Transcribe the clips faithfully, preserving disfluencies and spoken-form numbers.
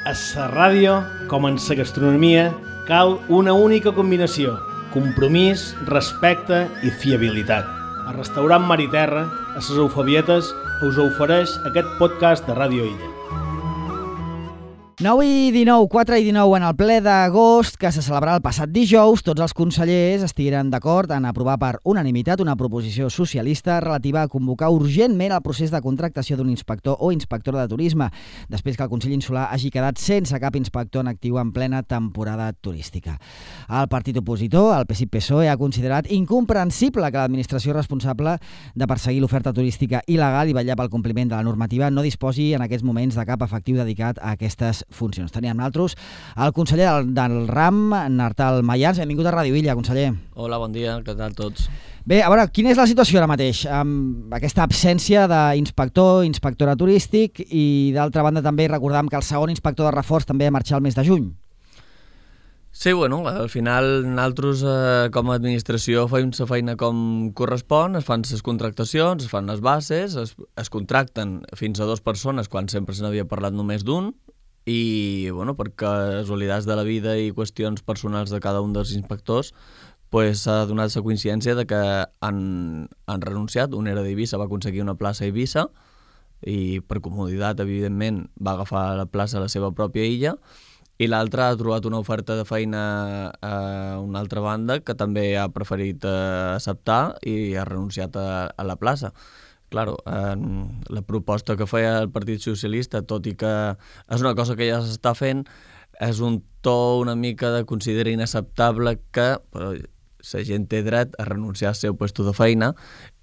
A la ràdio, com en la gastronomia, cal una única combinació: compromís, respecte i fiabilitat. El restaurant Mar i Terra, a les Eufebietes, us ofereix aquest podcast de Ràdio Illa. nou i dinou, quatre i dinou, en el ple d'agost que se celebrarà el passat dijous, tots els consellers estigueren d'acord en aprovar per unanimitat una proposició socialista relativa a convocar urgentment el procés de contractació d'un inspector o inspectora de turisme, després que el Consell Insular hagi quedat sense cap inspector en actiu en plena temporada turística. El partit opositor, el P S I P P S O E, ha considerat incomprensible que l'administració responsable de perseguir l'oferta turística il·legal i vetllar pel compliment de la normativa no disposi en aquests moments de cap efectiu dedicat a aquestes funcions. Teníem nosaltres el conseller del, del RAM, Nartal Mayans. Benvingut a Ràdio Illa, conseller. Hola, bon dia, què tal tots? Bé, a veure, quina és la situació ara mateix amb aquesta absència d'inspector, inspectora turístic, i d'altra banda també recordàvem que el segon inspector de reforç també ha marxat el mes de juny? Sí, bueno, al final nosaltres eh, com a administració fem la feina com correspon, es fan les contractacions, es fan les bases, es, es contracten fins a dues persones quan sempre se n'havia parlat només d'un, i bueno, per casualitats de la vida i qüestions personals de cada un dels inspectors pues, s'ha donat la coincidència de que han, han renunciat. Un era d'Eivissa, va aconseguir una plaça a Eivissa i per comoditat, evidentment, va agafar la plaça a la seva pròpia illa, i l'altre ha trobat una oferta de feina a una altra banda que també ha preferit acceptar i ha renunciat a, a la plaça. Claro, eh, la proposta que feia el Partit Socialista, tot i que és una cosa que ja s'està fent, és un to una mica de considera inacceptable que però, la gent té dret a renunciar al seu lloc de feina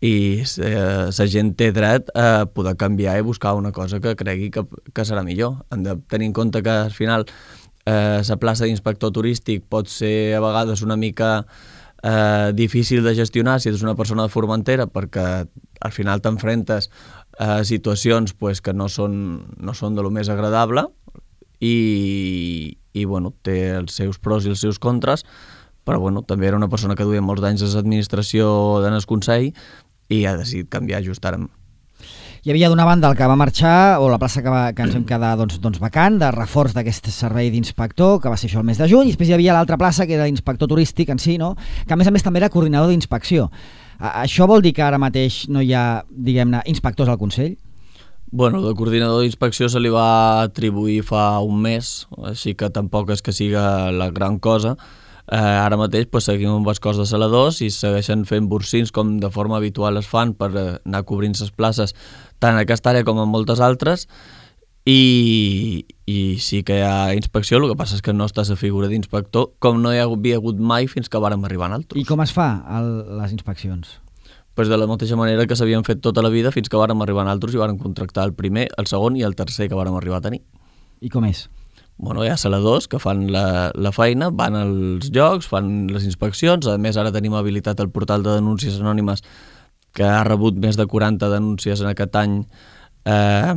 i eh, la gent té dret a poder canviar i buscar una cosa que cregui que, que serà millor. Hem de tenir en compte que al final eh, la plaça d'inspector turístic pot ser a vegades una mica eh, difícil de gestionar si ets una persona de Formentera, perquè al final t'enfrentes a situacions pues, que no són, no són de lo més agradable i, i bueno, té els seus pros i els seus contres, però bueno, també era una persona que duia molts anys a l'administració en el Consell i ha decidit canviar just ara. Hi havia d'una banda el que va marxar, o la plaça que, va, que ens vam quedar doncs, doncs vacant, de reforç d'aquest servei d'inspector, que va ser això el mes de juny, i després hi havia l'altra plaça, que era inspector turístic en si, no? Que a més a més també era coordinador d'inspecció. Això vol dir que ara mateix no hi ha, diguem-ne, inspectors al Consell? Bueno, de coordinador d'inspecció se li va atribuir fa un mes, així que tampoc és que siga la gran cosa. Eh, ara mateix pues, seguim amb els cos de saladors i segueixen fent bursins com de forma habitual es fan per anar cobrint les places tant en aquesta àrea com en moltes altres, i, i sí que hi ha inspecció, el que passa és que no està la figura d'inspector com no hi havia hagut mai fins que vàrem arribar nosaltres. I com es fa el, les inspeccions? Pues de la mateixa manera que s'havien fet tota la vida fins que vàrem arribar nosaltres i vàrem contractar el primer, el segon i el tercer que vàrem arribar a tenir. I com és? Bueno, hi ha saladors que fan la, la feina, van als llocs, fan les inspeccions. A més, ara tenim habilitat el portal de denúncies anònimes que ha rebut més de quaranta denúncies en aquest any eh,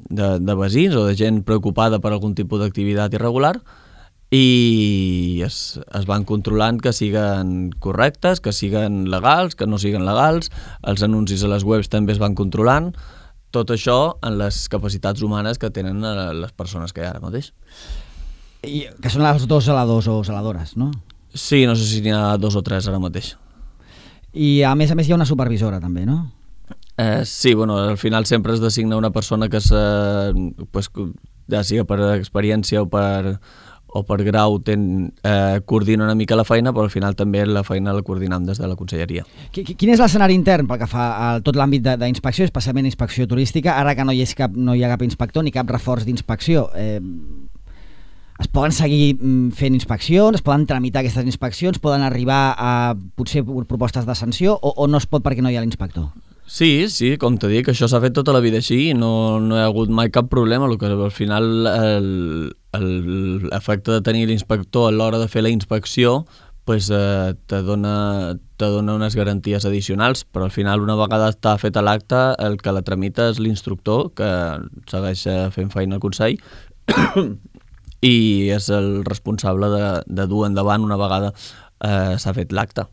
de, de veïns o de gent preocupada per algun tipus d'activitat irregular, i es, es van controlant que siguen correctes, que siguen legals, que no siguen legals. Els anuncis a les webs també es van controlant. Tot això en les capacitats humanes que tenen les persones que hi ha ara mateix. I que són els dos zeladors o zeladores, no? Sí, no sé si n'hi ha dos o tres ara mateix. I a més a més hi ha una supervisora també, no? Eh, sí, bueno, al final sempre es designa una persona que se, pues, ja sigui per experiència o per, o per grau ten, eh, coordina una mica la feina, però al final també la feina la coordinem des de la conselleria. Quin és l'escenari intern pel que fa a tot l'àmbit d'inspecció, especialment inspecció turística, ara que no hi, és cap, no hi ha cap inspector ni cap reforç d'inspecció? Eh, es poden seguir fent inspeccions, es poden tramitar aquestes inspeccions, poden arribar a potser propostes de sanció o, o no es pot perquè no hi ha l'inspector? Sí, sí, com t'he dit, això s'ha fet tota la vida així i no, no hi ha hagut mai cap problema. El que al final l'efecte de tenir l'inspector a l'hora de fer la inspecció pues, eh, te, dona, te dona unes garanties addicionals, però al final una vegada està fet l'acte el que la tramita és l'instructor que segueix fent feina al Consell i és el responsable de, de dur endavant una vegada eh, s'ha fet l'acte.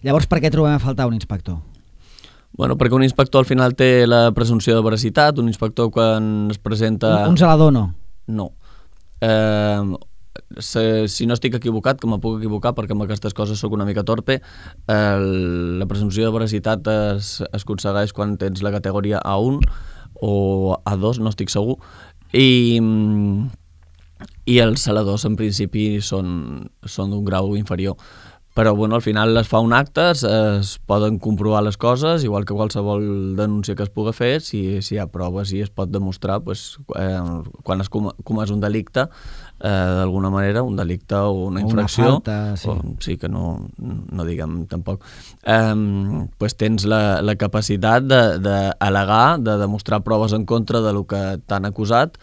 Llavors, per què trobem a faltar un inspector? Bueno, perquè un inspector al final té la presumpció de veracitat, un inspector quan es presenta... Un, un zelador no? No. eh, si no estic equivocat, que me puc equivocar perquè amb aquestes coses sóc una mica torpe, la presumpció de veracitat es, es aconsegueix quan tens la categoria A u o A dos, no estic segur, i, i els saladors en principi són, són d'un grau inferior. Però bueno, al final es fa un acte, es, es poden comprovar les coses, igual que qualsevol denúncia que es pugui fer, si, si hi ha proves i es pot demostrar, pues, eh, quan es comès un delicte, eh, d'alguna manera, un delicte o una infracció, una falta, sí. O, sí que no, no diguem tampoc, eh, pues tens la, la capacitat d'al·legar, de, de demostrar proves en contra de lo que t'han acusat.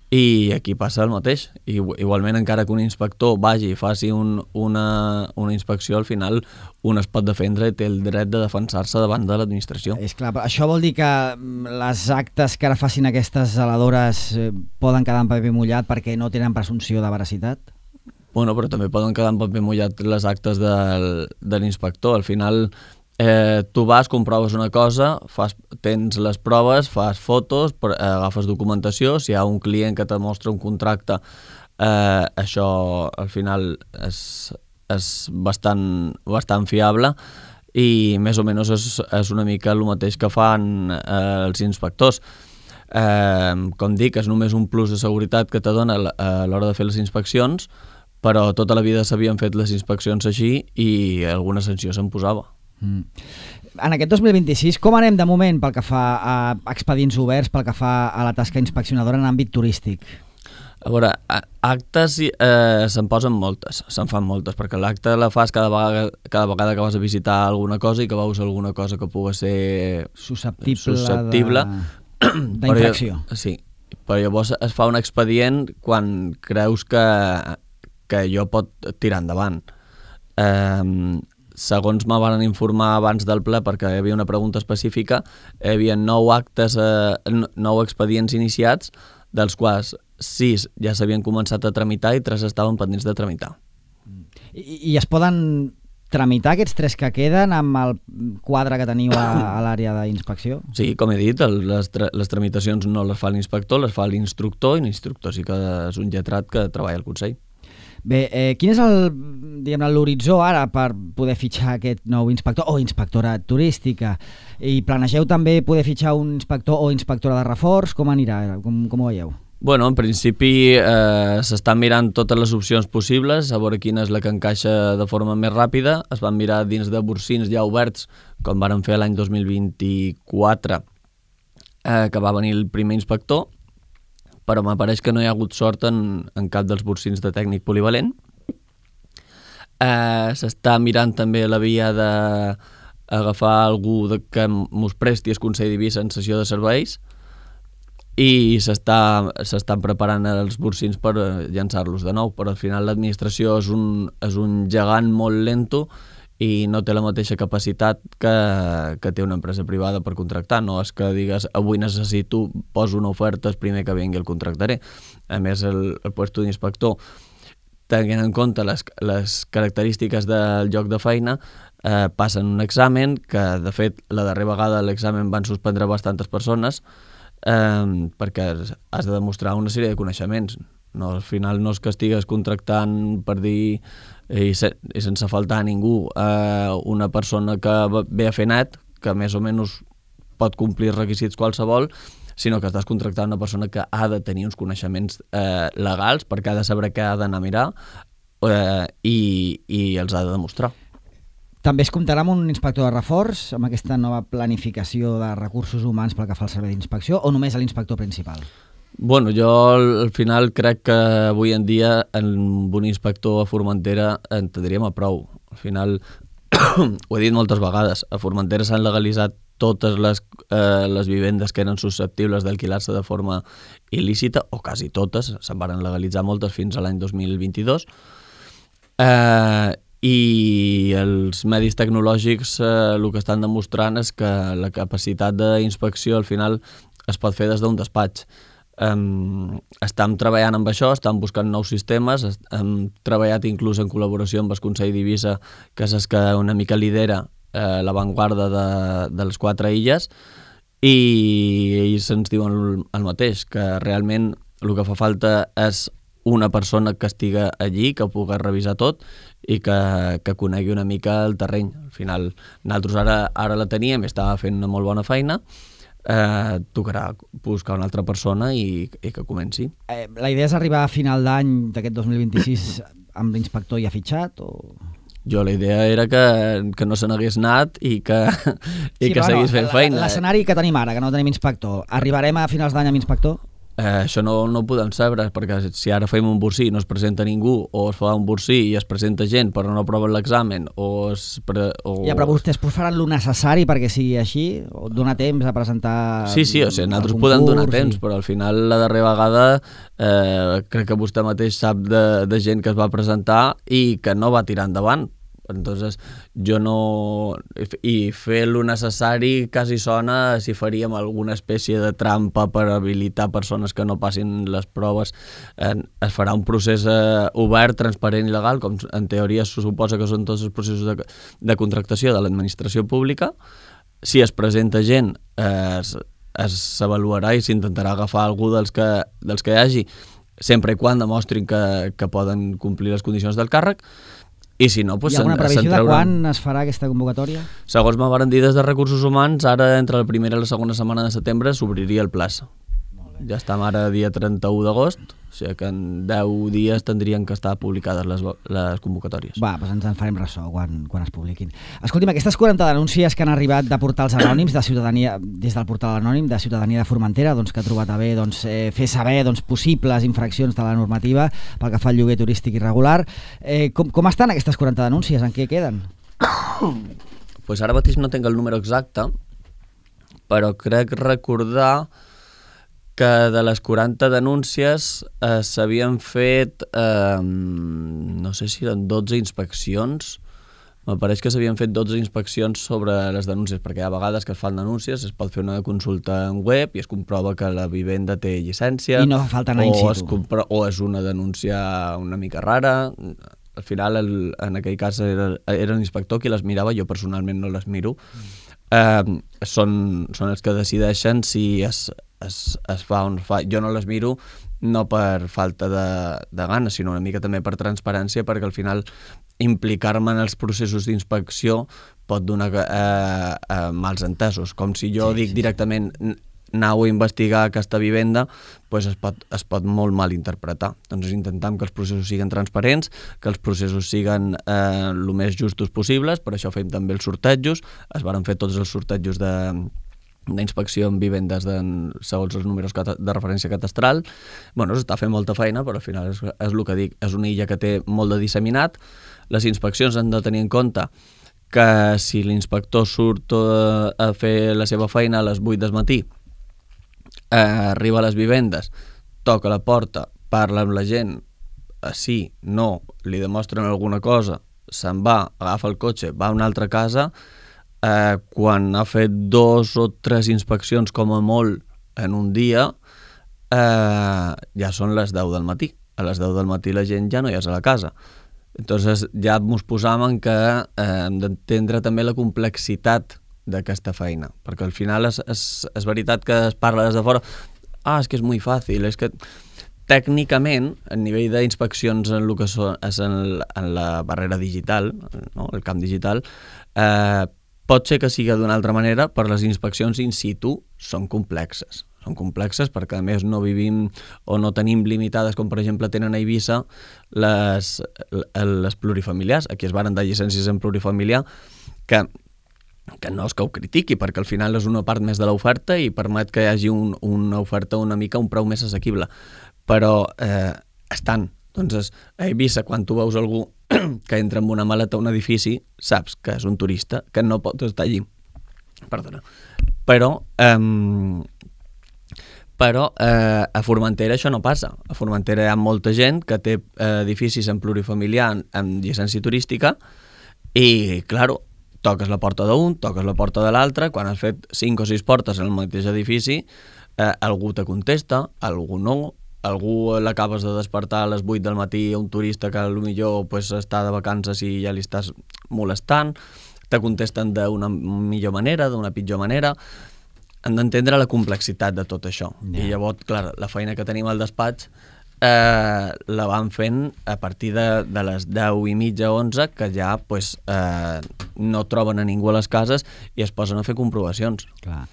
I aquí passa el mateix. I, igualment, encara que un inspector vagi i faci un, una, una inspecció, al final un es pot defendre i té el dret de defensar-se davant de l'administració. És clar, però això vol dir que les actes que ara facin aquestes zeladores eh, poden quedar en paper mullat perquè no tenen presumpció de veracitat? Bueno, però també poden quedar en paper mullat les actes del, de l'inspector. Al final, Eh, tu vas, comproves una cosa, fas, tens les proves, fas fotos, per, eh, agafes documentació, si hi ha un client que te mostra un contracte, eh, això al final és, és bastant, bastant fiable i més o menys és, és una mica el mateix que fan eh, els inspectors. Eh, com dic, és només un plus de seguretat que te dona a l'hora de fer les inspeccions, però tota la vida s'havien fet les inspeccions així i alguna sanció se'n posava. Mm. En aquest dos mil vint-i-sis, com anem de moment pel que fa a expedients oberts, pel que fa a la tasca inspeccionadora en àmbit turístic? A veure, actes eh, se'n posen moltes, se'n fan moltes, perquè l'acte la fas cada vegada, cada vegada que vas a visitar alguna cosa i que veus alguna cosa que pugui ser susceptible, susceptible d'infracció. Sí, però llavors es fa un expedient quan creus que, que allò pot tirar endavant. Eh, Segons me van informar abans del ple, perquè hi havia una pregunta específica, hi havia nou actes, eh, nou expedients iniciats, dels quals sis ja s'havien començat a tramitar i tres estaven pendents de tramitar. I, i es poden tramitar aquests tres que queden amb el quadre que teniu a, a l'àrea d'inspecció? Sí, com he dit, el, les, tra les tramitacions no les fa l'inspector, les fa l'instructor, i l'instructor sí que és un lletrat que treballa al Consell. Bé, eh, quin és el, diguem-ne, l'horitzó ara per poder fitxar aquest nou inspector o inspectora turística? I planegeu també poder fitxar un inspector o inspectora de reforç? Com anirà? Com, com ho veieu? Bueno, en principi eh, s'estan mirant totes les opcions possibles, a veure quina és la que encaixa de forma més ràpida. Es van mirar dins de borsins ja oberts, com varen fer l'any dos mil vint-i-quatre, eh, que va venir el primer inspector, però m'apareix que no hi ha hagut sort en, en cap dels borsins de tècnic polivalent. Eh, S'està mirant també la via d'agafar algú de, que mos presti el Consell d'Eivissa en sessió de serveis i s'estan preparant els borsins per llançar-los de nou, però al final l'administració és, un, és un gegant molt lento i no té la mateixa capacitat que, que té una empresa privada per contractar. No és que digues, avui necessito, poso una oferta, el primer que vingui el contractaré. A més, el, el puesto d'inspector, tenint en compte les, les característiques del lloc de feina, eh, passen un examen, que de fet la darrera vegada l'examen van suspendre bastantes persones, eh, perquè has de demostrar una sèrie de coneixements. No, al final no és que estigues contractant per dir i, se, i sense faltar a ningú eh, una persona que ve a fer net, que més o menys pot complir requisits qualsevol, sinó que estàs contractant una persona que ha de tenir uns coneixements eh, legals perquè ha de saber què ha d'anar a mirar eh, i, i els ha de demostrar. També es comptarà amb un inspector de reforç, amb aquesta nova planificació de recursos humans pel que fa al servei d'inspecció, o només a l'inspector principal? Bueno, jo al final crec que avui en dia amb un inspector a Formentera en tindríem a prou. Al final, ho he dit moltes vegades, a Formentera s'han legalitzat totes les, eh, les vivendes que eren susceptibles d'alquilar-se de forma il·lícita, o quasi totes, se'n van legalitzar moltes fins a l'any dos mil vint-i-dos, eh, i els medis tecnològics eh, el que estan demostrant és que la capacitat d'inspecció al final es pot fer des d'un despatx. Um, estem treballant amb això, estem buscant nous sistemes, hem treballat inclús en col·laboració amb el Consell d'Eivissa, que és el que una mica lidera eh, l'avantguarda de, de les quatre illes, i ells ens diuen el, el mateix, que realment el que fa falta és una persona que estiga allí, que pugui revisar tot i que, que conegui una mica el terreny. Al final, nosaltres ara, ara la teníem i estava fent una molt bona feina, eh, tocarà buscar una altra persona i, i que comenci. Eh, la idea és arribar a final d'any d'aquest dos mil vint-i-sis amb l'inspector ja fitxat o... Jo la idea era que, que no se n'hagués anat i que, i sí, que seguís fent feina. L'escenari que tenim ara, que no tenim inspector, arribarem a finals d'any amb inspector? Eh, això no, no ho podem saber, perquè si ara fem un bursí i no es presenta ningú, o es fa un bursí i es presenta gent però no aproven l'examen, o, es pre... o... Ja, però vostès faran lo necessari perquè sigui així? O donar temps a presentar... Sí, sí, o sigui, nosaltres podem donar temps, i... però al final la darrera vegada eh, crec que vostè mateix sap de, de gent que es va presentar i que no va tirar endavant. Entonces, jo no... I fer lo necessari quasi sona si faríem alguna espècie de trampa per habilitar persones que no passin les proves. Eh, es farà un procés eh, obert, transparent i legal, com en teoria se suposa que són tots els processos de, de contractació de l'administració pública. Si es presenta gent, eh, es s'avaluarà i s'intentarà agafar algú dels que, dels que hi hagi, sempre i quan demostrin que, que poden complir les condicions del càrrec. I si no, doncs hi ha alguna previsió de quan es farà aquesta convocatòria? Segons me varen dir des de Recursos Humans, ara entre la primera i la segona setmana de setembre s'obriria el plaça. Ja estem ara dia trenta-u d'agost, o sigui que en deu dies tindrien que estar publicades les, les convocatòries. Va, doncs ens en farem ressò quan, quan es publiquin. Escolti'm, aquestes quaranta denúncies que han arribat de portals anònims de ciutadania, des del portal anònim de Ciutadania de Formentera, doncs, que ha trobat a bé doncs, eh, fer saber doncs, possibles infraccions de la normativa pel que fa al lloguer turístic irregular. Eh, com, com estan aquestes quaranta denúncies? En què queden? Pues ara mateix no tinc el número exacte, però crec recordar que de les quaranta denúncies eh, s'havien fet, eh, no sé si eren dotze inspeccions, me pareix que s'havien fet dotze inspeccions sobre les denúncies, perquè hi ha vegades que es fan denúncies, es pot fer una consulta en web i es comprova que la vivenda té llicència, i no fa falta anar in situ. O, es compro- o és una denúncia una mica rara. Al final, el, en aquell cas, era, era l'inspector qui les mirava, jo personalment no les miro. Eh, són, són els que decideixen si es, es, es fa o no es fa. Jo no les miro no per falta de, de ganes, sinó una mica també per transparència, perquè al final implicar-me en els processos d'inspecció pot donar eh, eh, mals entesos. Com si jo sí, dic sí. directament anau a investigar aquesta vivenda, pues es, pot, es pot molt mal interpretar. Doncs intentem que els processos siguin transparents, que els processos siguin eh, el més justos possibles, per això fem també els sortejos, es varen fer tots els sortejos de d'inspecció en vivendes de, segons els números de referència catastral. Bueno, s'està fent molta feina, però al final és, és el que dic, és una illa que té molt de disseminat. Les inspeccions han de tenir en compte que si l'inspector surt a, a fer la seva feina a les vuit del matí, eh, arriba a les vivendes, toca la porta, parla amb la gent, eh, sí, no, li demostren alguna cosa, se'n va, agafa el cotxe, va a una altra casa. Eh, quan ha fet dos o tres inspeccions com a molt en un dia, eh, ja són les deu del matí. A les deu del matí la gent ja no hi és a la casa. Entonces ja ens posam en que eh, hem d'entendre també la complexitat d'aquesta feina, perquè al final és, és, és veritat que es parla des de fora, ah, és que és molt fàcil, és que tècnicament, a nivell d'inspeccions en, el que són, és en, en la barrera digital, no? El camp digital, eh, pot ser que sigui d'una altra manera, però les inspeccions in situ són complexes. Són complexes perquè, a més, no vivim o no tenim limitades, com per exemple tenen a Eivissa, les, les plurifamiliars. Aquí es varen dar llicències en plurifamiliar, que, que no és que ho critiqui, perquè al final és una part més de l'oferta i permet que hi hagi un, una oferta una mica, un preu més assequible. Però eh, estan. Doncs a Eivissa, quan tu veus algú que entra amb una maleta a un edifici, saps que és un turista, que no pot estar allí. Perdona. Però, eh, però eh, a Formentera això no passa. A Formentera hi ha molta gent que té eh, edificis en plurifamiliar amb llicència turística i, claro, toques la porta d'un, toques la porta de l'altre, quan has fet cinc o sis portes en el mateix edifici, eh, algú te contesta, algú no, algú l'acabes de despertar a les vuit del matí a un turista que potser pues, està de vacances i ja li estàs molestant, te contesten d'una millor manera, d'una pitjor manera. Hem d'entendre la complexitat de tot això. Yeah. I llavors, clar, la feina que tenim al despatx eh, la van fent a partir de, de les deu i mitja, onze, que ja pues, eh, no troben a ningú a les cases i es posen a fer comprovacions. Clar.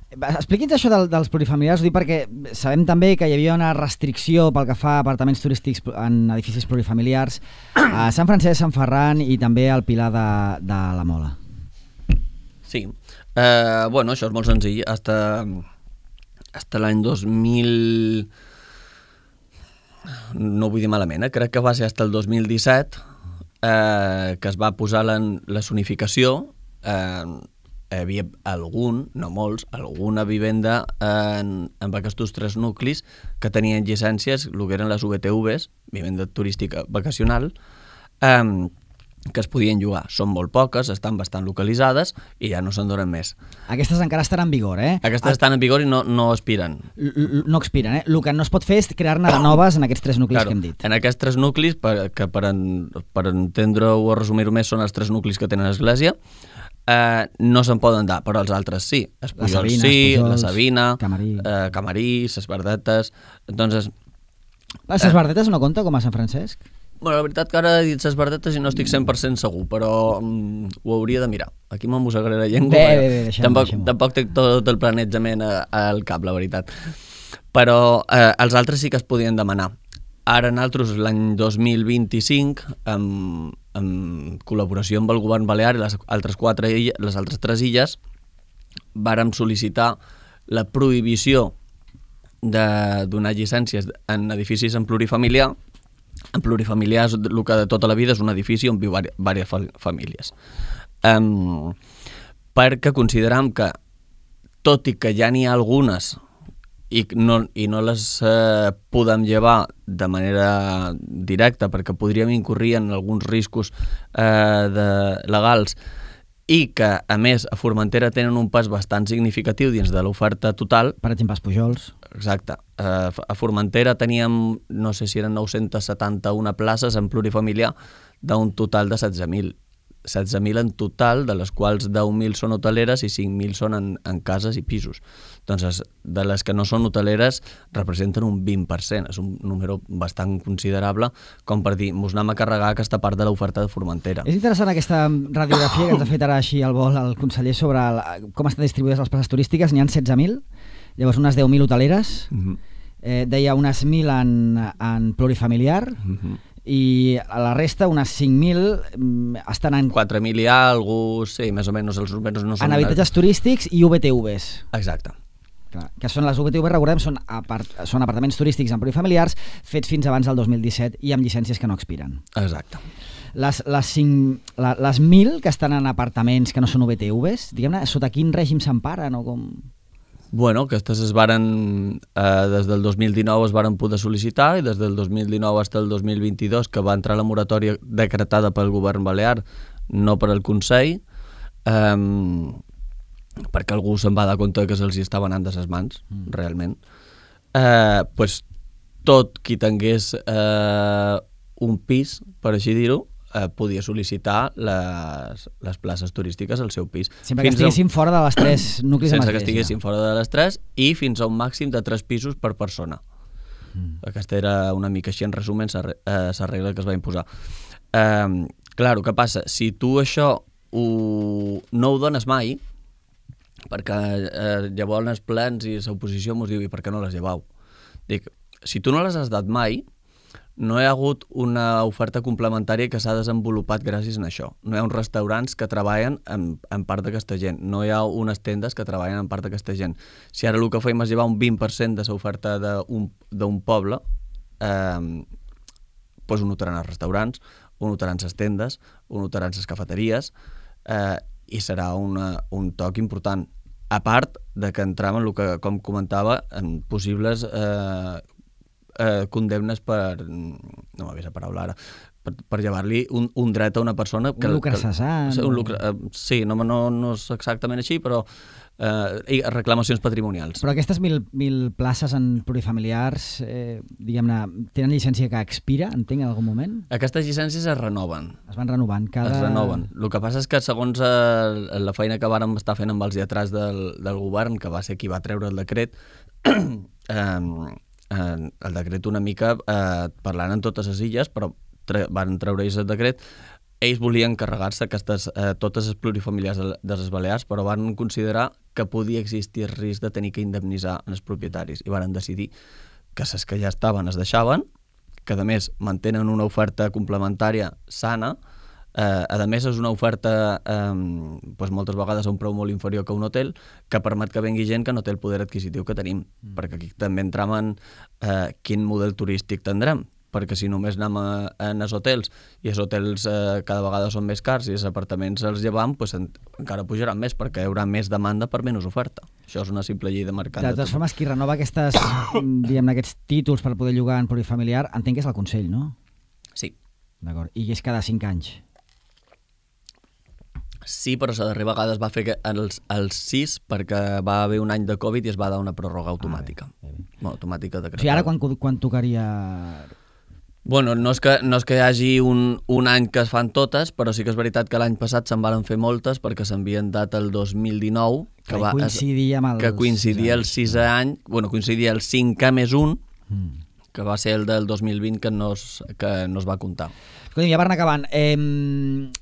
Expliqui'ns això del, dels plurifamiliars, ho dic perquè sabem també que hi havia una restricció pel que fa a apartaments turístics en edificis plurifamiliars a Sant Francesc, Sant Ferran i també al Pilar de, de la Mola. Sí, eh, bueno, això és molt senzill. Hasta, hasta l'any dos mil... No vull dir malament, eh? Crec que va ser hasta el dos mil disset eh, que es va posar la, la zonificació. Eh, hi havia algun, no molts, alguna vivenda en, en aquests tres nuclis que tenien llicències, el que eren les V T Vs, vivenda turística vacacional, eh, que es podien llogar. Són molt poques, estan bastant localitzades i ja no se'n donen més. Aquestes encara estan en vigor, eh? Aquestes estan en vigor i no, no expiren. L -l no expiren, eh? El que no es pot fer és crear-ne de noves en aquests tres nuclis claro, que hem dit. En aquests tres nuclis, per, que per, en, per entendre-ho o resumir-ho més, són els tres nuclis que tenen església, eh, no se'n poden dar, però els altres sí. Espujols sí, la Sabina, Camarí, eh, Camarí, Ses Verdetes... Entonces, les Ses Verdetes no compta com a Sant Francesc? Bueno, la veritat que ara he dit Ses Verdetes i no estic cent per cent segur, però mm, ho hauria de mirar. Aquí me'n mossegaré la llengua. Bé, bé, bé, deixem-ho. Tampoc, tampoc té tot el planejament al cap, la veritat. Però eh, els altres sí que es podien demanar. Ara nosaltres, l'any dos mil vint-i-cinc, en, en col·laboració amb el govern balear i les altres, quatre illes, les altres tres illes, vàrem sol·licitar la prohibició de donar llicències en edificis en plurifamiliar. En plurifamiliars, el que de tota la vida és un edifici on viu diverses famílies. Um, perquè consideram que, tot i que ja n'hi ha algunes i no, i no les eh, podem llevar de manera directa perquè podríem incurrir en alguns riscos eh, de, legals i que, a més, a Formentera tenen un pas bastant significatiu dins de l'oferta total. Per exemple, els Pujols. Exacte. Uh, a Formentera teníem, no sé si eren nou-cents setanta-una places en plurifamiliar d'un total de setze mil. setze mil en total, de les quals deu mil són hoteleres i cinc mil són en, en cases i pisos. Doncs de les que no són hoteleres representen un vint per cent. És un número bastant considerable com per dir, mos anem a carregar aquesta part de l'oferta de Formentera. És interessant aquesta radiografia que ens ha fet ara així al vol el conseller sobre la, com estan distribuïdes les places turístiques. N'hi ha setze mil, llavors unes deu mil hoteleres, mm-hmm. eh, deia unes mil en, en plurifamiliar, mm-hmm. i a la resta, unes cinc mil estan en... quatre mil hi ha, algú, sí, més o menys, els números no són... En habitatges turístics i V T Vs. Exacte. Clar, que són les V T Vs, recordem, són, apart són apartaments turístics en plurifamiliars fets fins abans del dos mil disset i amb llicències que no expiren. Exacte. Les, les, cinc, la, les mil que estan en apartaments que no són V T Vs, diguem-ne, sota quin règim s'emparen o com... Bueno, aquestes es varen, eh, des del dos mil dinou es varen poder sol·licitar i des del dos mil dinou fins al dos mil vint-i-dos, que va entrar la moratòria decretada pel govern balear, no per al Consell, eh, perquè algú se'n va dar compte que se'ls estaven anant de ses mans, mm. realment. Eh, pues, tot qui tingués eh, un pis, per així dir-ho, eh, podia sol·licitar les, les places turístiques al seu pis. Sempre que estiguessin a... fora de les tres nuclis de Sense que estiguessin fora de les tres i fins a un màxim de tres pisos per persona. Mm. Aquesta era una mica així, en resum, la regla que es va imposar. Eh, claro, què passa? Si tu això ho, no ho dones mai, perquè eh, llavors els plens i l'oposició mos diu i per què no les llevau? Dic, si tu no les has dat mai, no hi ha hagut una oferta complementària que s'ha desenvolupat gràcies a això. No hi ha uns restaurants que treballen en, en part d'aquesta gent. No hi ha unes tendes que treballen en part d'aquesta gent. Si ara el que fem és llevar un vint per cent de l'oferta d'un poble, eh, doncs ho notaran els restaurants, ho notaran les tendes, ho notaran les cafeteries, eh, i serà una, un toc important. A part de que entram en el que, com comentava, en possibles... Eh, Eh, condemnes per, no m'ha vist la paraula ara, per, per llevar-li un, un dret a una persona... Que, un lucre cessant. Un lucre, eh, sí, no, no, no és exactament així, però eh, reclamacions patrimonials. Però aquestes mil, mil places en plurifamiliars, eh, diguem-ne, tenen llicència que expira, entenc, en algun moment? Aquestes llicències es renoven. Es van renovant cada... Es renoven. El que passa és que segons eh, la feina que vàrem estar fent amb els lletrats del, del govern, que va ser qui va treure el decret, eh, eh, el decret una mica eh, parlant en totes les illes, però tre van treure ells el decret. Ells volien carregar-se aquestes, eh, totes les plurifamiliars de, de les Balears, però van considerar que podia existir el risc de tenir que indemnitzar els propietaris i van decidir que les que ja estaven es deixaven, que a més mantenen una oferta complementària sana. Eh, a més és una oferta eh, doncs moltes vegades a un preu molt inferior que un hotel, que permet que vengui gent que no té el poder adquisitiu que tenim, mm. perquè aquí també entramen eh, quin model turístic tindrem, perquè si només anem a, a els hotels i els hotels eh, cada vegada són més cars i els apartaments els llevam, pues, en, encara pujaran més perquè hi haurà més demanda per menys oferta. Això és una simple llei de mercat. De totes formes, qui renova aquestes, diguem, aquests títols per poder llogar en plurifamiliar, entenc que és el Consell, no? Sí. D'acord. I és cada cinc anys? Sí, però la darrera vegada es va fer els, els sis perquè va haver un any de Covid i es va dar una pròrroga automàtica. Ah, bé, bé. Bueno, automàtica decretada. O sigui, ara quan, quan tocaria... Bueno, no és que, no és que hi hagi un, un any que es fan totes, però sí que és veritat que l'any passat se'n van fer moltes perquè s'havien dat el dos mil dinou, que, que va, coincidia amb el que coincidia el sisè any, bueno, coincidia el cinquè més un, mm. que va ser el del dos mil vint que no es, que no es va comptar. Escolta, ja per anar acabant, eh,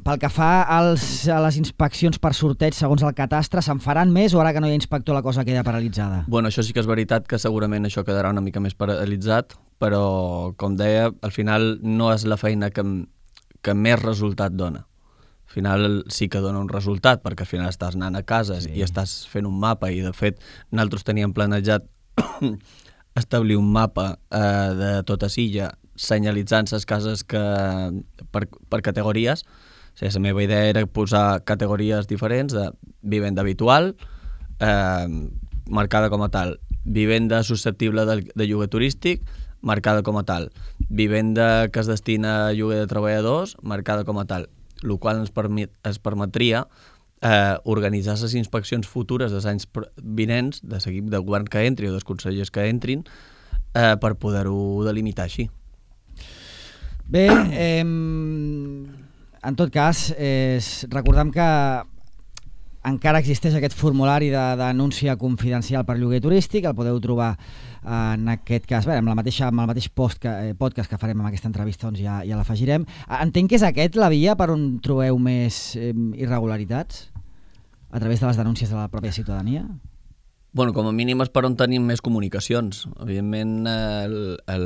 pel que fa als, a les inspeccions per sorteig segons el catastre, se'n faran més o ara que no hi ha inspector la cosa queda paralitzada? Bueno, això sí que és veritat que segurament això quedarà una mica més paralitzat, però, com deia, al final no és la feina que, que més resultat dona. Al final sí que dona un resultat, perquè al final estàs anant a cases sí. i estàs fent un mapa, i de fet nosaltres teníem planejat establir un mapa eh, de tota Silla senyalitzant les cases que, per, per categories. O sigui, la meva idea era posar categories diferents de vivenda habitual, eh, marcada com a tal, vivenda susceptible de, de lloguer turístic, marcada com a tal, vivenda que es destina a lloguer de treballadors, marcada com a tal, el qual ens, permet, ens permetria eh, organitzar les inspeccions futures dels anys vinents, de l'equip de govern que entri o dels consellers que entrin, eh, per poder-ho delimitar així. Bé, eh, en tot cas, eh, recordem que encara existeix aquest formulari de denúncia confidencial per lloguer turístic, el podeu trobar en aquest cas, bé, amb, la mateixa, amb el mateix post que, eh, podcast que farem amb aquesta entrevista, doncs ja, ja l'afegirem. Entenc que és aquest la via per on trobeu més eh, irregularitats? A través de les denúncies de la pròpia ciutadania? Bueno, com a mínim és per on tenim més comunicacions. Evidentment, el, el,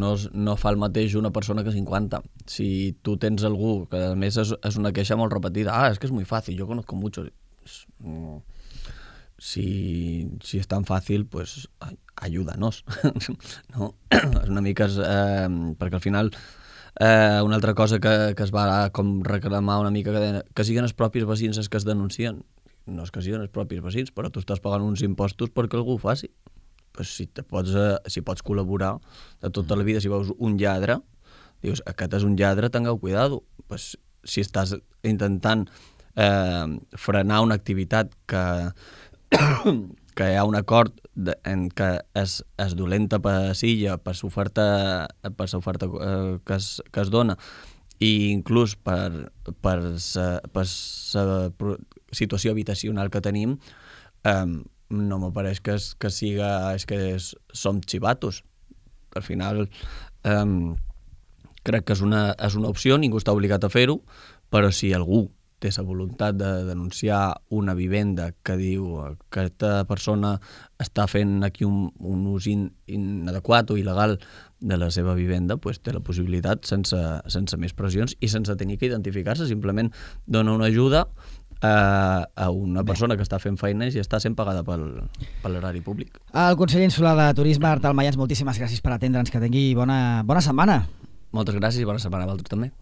no, no fa el mateix una persona que cinquanta. Si tu tens algú, que a més és, és una queixa molt repetida, ah, és que és muy fácil, yo conozco mucho. Si, si és tan fàcil, pues ayúdanos. No? És una mica... Eh, perquè al final... Eh, una altra cosa que, que es va com reclamar una mica, que, que siguin els propis veïns els que es denuncien. No és que siguin els propis veïns, però tu estàs pagant uns impostos perquè algú ho faci. Pues si, te pots, eh, si pots col·laborar de tota la vida, si veus un lladre, dius, aquest és un lladre, tingueu cuidado. Pues, si estàs intentant eh, frenar una activitat que, que hi ha un acord de, en què és, és dolenta per Silla, per l'oferta per l'oferta eh, que, es, que es dona, i inclús per, per la situació habitacional que tenim, eh, no me pareix que, es, que siga és que és, som xivatos. Al final eh, crec que és una, és una opció, ningú està obligat a fer-ho, però si algú té la voluntat de denunciar una vivenda que diu que aquesta persona està fent aquí un, un ús in, inadequat o il·legal de la seva vivenda, pues té la possibilitat sense, sense més pressions i sense tenir que identificar-se, simplement dona una ajuda a, a una persona que està fent feines i està sent pagada pel, per l'erari públic. El conseller insular de Turisme, Artal Mayans, moltíssimes gràcies per atendre'ns, que tingui bona, bona setmana. Moltes gràcies i bona setmana a vosaltres també.